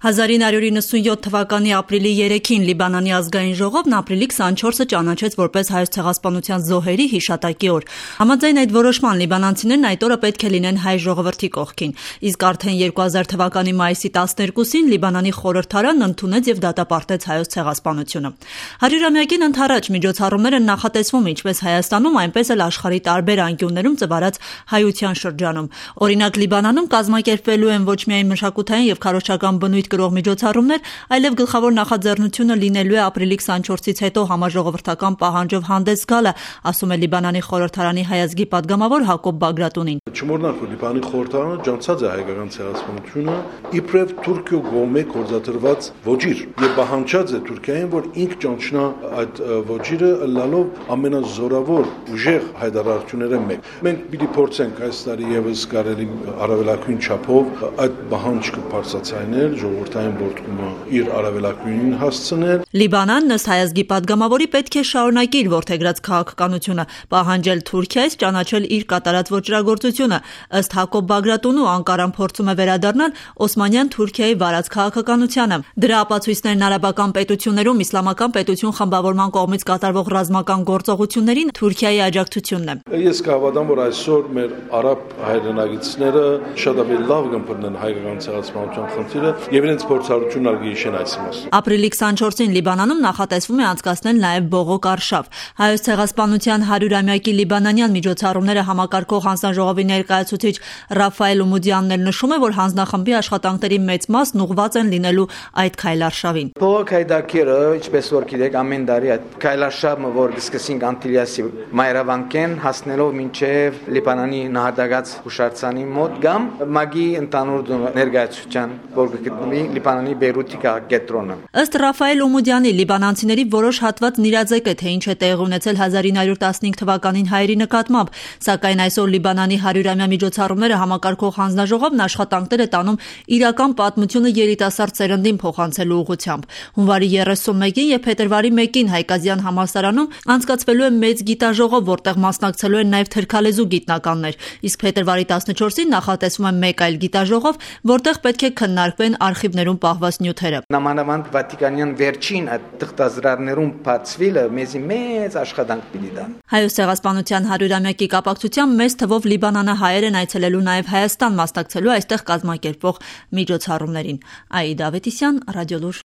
1997 թվականի ապրիլի 3-ին Լիբանանի ազգային ժողովն ապրիլի 24-ը ճանաչեց որպես հայոց ցեղասպանության զոհերի հիշատակի օր։ Համաձայն այդ որոշման լիբանանցիներն այդ օրը պետք է լինեն հայ ժողովրդի կողքին։ Իսկ արդեն 2000 թվականի մայիսի 12-ին Լիբանանի խորհրդարանն ընդունեց եւ դատապարտեց հայոց ցեղասպանությունը։ 100-ամյակին ընդառաջ միջոցառումները նախատեսվում ինչպես Հայաստանում, այնպես էլ աշխարհի տարբեր անկյուններում ծավալած հայության շրջանում։ Օրինակ Լիբանանում կազմակերպվելու են ոչ միայն մշակութային եւ քարոզչական բնույթ կրող միջոցառումներ, այլև գլխավոր նախաձեռնությունը լինելու է ապրիլի 24-ից հետո համաժողովրդական պահանջով հանդես գալը, ասում է Լիբանանի խորհրդարանի հայազգի падգամավոր Հակոբ Բագրատունին։ Չմոռանանք, որ Լիբանանի խորհրդարանը ջանցած է հայկական ցեղասպանությունը իբրև Թուրքիո կողմէ կորզաթրված ոճիր եւ պահանջած է Թուրքիային, որ ինք ճանչնա այդ ոճիրը լալով ամենազորավոր ուժեղ հայդարարությունները մեկ։ Մենք պիտի փորձենք այս տարի եւս կարելի առավելագույն չափով այդ պահանջը բարձրացնել, ժողովրդային բորտկումը իր առավելագույնին հասցնել։ Լիբանանն ըստ հայազգի падգամավորի պետք է շարունակի իր որդեգրած քաղաքականությունը, պահանջել Թուրքիայից ճանաչել իր կատարած ոճրագործությունը։ Ըստ Հակոբ Բագրատունու Անկարան փորձում է վերադառնալ Օսմանյան Թուրքիայի վարած քաղաքականությանը։ Դրա ապացույցներն արաբական պետություններում իսլամական պետություն խմբավորման կողմից կատարվող ռազմական գործողություններին Թուրքիայի աջակցությունն է։ Ես կհավատամ, որ այսօր մեր արաբ հայրենագիտները շատ ավելի լավ կըմբռնեն հայկական ցեղասպանության խնդիրը եւ իրենց փորձառությունն արգելիշեն այս մասը։ Ապրիլի 24-ին Լիբանանում նախատեսվում է անցկացնել նաեւ բողոք արշավ։ Հայոց ցեղասպանության 100-ամյակի լիբանանյան միջոցառումները համակարգող հանձնաժողովի ներկայացուցիչ Ռաֆայել Ումուդյանն էլ նշում է, որ հանձնախմբի աշխատանքների մեծ մասն ուղղված են լինելու այդ քայլարշավին։ Բողոք հայդակերը, ինչպես որ գիտեք, ամեն տարի այդ քայլարշավը, որ սկսեցինք Անտիլիասի մայրավանքեն հասնելով մինչև Լիբանանի նահատակած հուշարձանի մոտ կամ մագի ընդանուր ներկայացության, որ գտնվի Լիբանանի Բեյրութի կենտրոնը։ Ըստ Ռաֆայել Ումուդյանի, լիբանանցիների որոշ հատված նիրաձեկ է, թե ինչ է տեղի ունեցել 1915 թվականին հայերի նկատմամբ, սակայն այսօր Լիբանանի 100-ամյա միջոցառումները համակարգող հանձնաժողովն աշխատանքներ է տանում իրական պատմությունը երիտասարդ սերնդին փոխանցելու ուղղությամբ։ Հունվարի 31-ին եւ փետրվարի 1-ին Հայկազյան համալսարանում անցկացվելու է մեծ գիտաժողով, որտեղ մասնակցելու են նաեւ թրքալեզու գիտնականներ, իսկ փետրվարի 14-ին նախատեսվում է մեկ այլ գիտաժողով, որտեղ պետք է քննարկվեն արխիվներում պահված նյութերը։ Նամանավանդ Վատիկանյան վերջին այդ թղթազրահներում բացվելը մեզի մեծ աշխատանք պիտի տա։ Հայոց ցեղասպանության 100-ամյակի կապակցությամբ մեծ թվով լիբանանահայեր են այցելելու նաև Հայաստան մասնակցելու այստեղ կազմակերպվող միջոցառումներին։ Աիդա Ավետիսյան, Ռադիոլուր։